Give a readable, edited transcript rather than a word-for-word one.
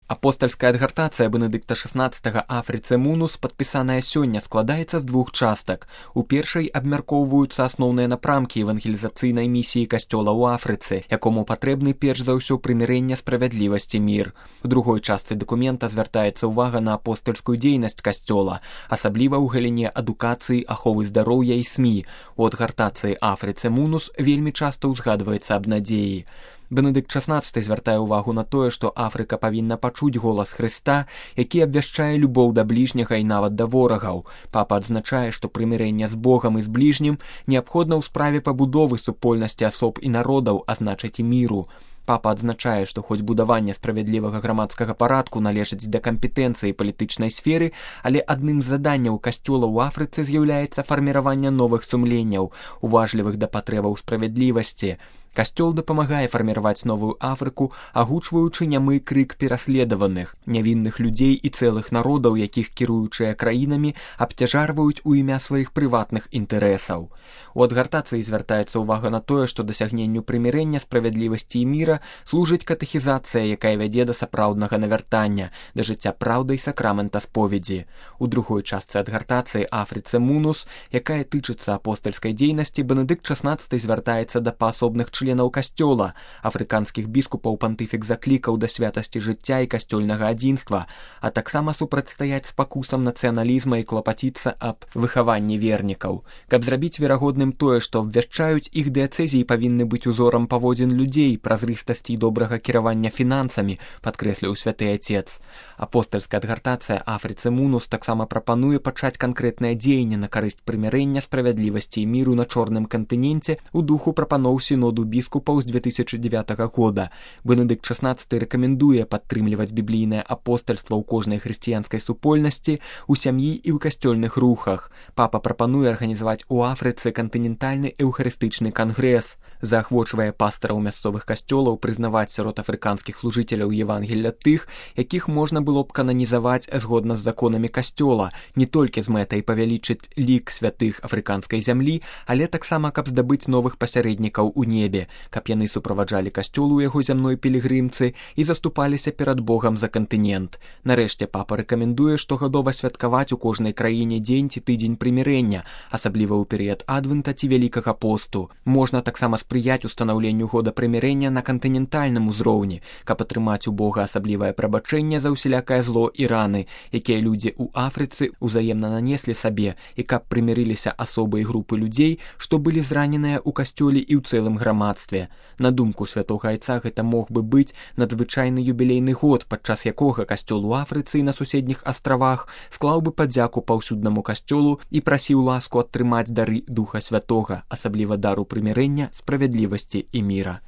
Апостальская адгартацыя Бенедыкта XVI Афрыцы Мунус, падпісаная сёння, складаецца з двух частак. У першай абмяркоўваюцца асноўныя напрамкі евангелізацыйнай місіі касцёла ў Афрыцы, якому патрэбны перш за ўсё прымірэнне, справядлівасць і мір. У другой частцы дакумента звяртаецца ўвага на апостальскую дзейнасць касцёла, асабліва ў галіне адукацыі, аховы здароўя і СМІ. У адгартацыі Афрыцы Мунус вельмі часта ўзгадваецца аб надзеі. Бенедыкт XVI звяртае ўвагу на тое, што Афрыка павінна пачуць голас Хрыста, які абвяшчае любоў да бліжняга і нават да ворагаў. Папа адзначае, што прымірэнне з Богам і з бліжнім неабходна ў справе пабудовы супольнасці асоб і народаў, а значыць і міру. Папа адзначае, што хоць будаванне справядлівага грамадскага парадку належыць да кампетэнцыі палітычнай сферы, але адным з заданняў касцёла ў Афрыцы з'яўляецца фарміраванне новых сумленняў, уважлівых да патрэбаў справядлівасці. Касцёл дапамагае фарміраваць новую Афрыку, агучваючы нямы крык пераследаваных, нявінных людзей і цэлых народаў, якіх кіруючыя краінамі абцяжарваюць у імя сваіх прыватных інтарэсаў. У адгартацыі звяртаецца ўвага на тое, што дасягненню прымірэння, справядлівасці і міра служыць катэхізацыя, якая вядзе да сапраўднага навяртання, да жыцця праўды і сакрамента споведзі. У другой частцы адгартацыі Афрыцы Мунус, якая тычыцца апостальскай дзейнасці, Бенедыкт XVI звяртаецца да паасобных членаў касцёла. Афрыканскіх біскупаў пантыфік заклікаў да святасці жыцця і касцёльнага адзінства, а таксама супрацьстаяць спакусам нацыяналізма і клапаціцца аб выхаванні вернікаў. Каб зрабіць верагодным тое, што абвяшчаюць, іх дыяцэзіі павінны быць узорам паводзін людзей, празрыстасці і добрага кіравання фінансамі, падкрэсліў святы Ацец. Апостальская адгартацыя Афрыцы Мунус таксама прапануе пачаць канкрэтнае дзеянне на карысць прымірэння, справядлівасці і міру на чорным кантыненце ў духу прапаноў сіноду біскупаў з 2009 года. Бенедыкт XVI рэкамендуе падтрымліваць біблійнае апостальства ў кожнай хрысціянскай супольнасці, у сям'і і ў касцёльных рухах. Папа прапануе арганізаваць у Афрыцы кантынентальны эўхарыстычны кангрэс, заахвочвае пастараў мясцовых касцёлаў прызнаваць сярод афрыканскіх служыцеляў Евангелля тых, якіх можна было б кананізаваць згодна з законамі касцёла, не толькі з мэтай павялічыць лік святых афрыканскай зямлі, але таксама каб здабыць новых пасярэднікаў у небе, каб яны суправаджалі касцёл у яго зямной пілігрымцы і заступаліся перад Богам за кантынент. Нарэшце папа рэкамендуе штогадова святкаваць у кожнай краіне дзень ці тыдзень прымірэння, асабліва ў перыяд адвента ці вялікага посту. Можна таксама спрыяць устанаўленню года прымірэння на кантынентальным узроўні, каб атрымаць у Бога асаблівае прабачэнне за ўсялякае зло і раны, якія людзі ў Афрыцы ўзаемна нанеслі сабе, і каб прымірыліся асобы і групы людзей, што былі зраненыя ў касцёле і ў цэлым грамадстве. На думку святога Айца, гэта мог бы быць надзвычайны юбілейны год, падчас якога касцёл у Афрыцы і на суседніх астравах склаў бы падзяку паўсюднаму касцёлу і прасіў ласку атрымаць дары Духа Святога, асабліва дару прымірэння, справядлівасці і міра.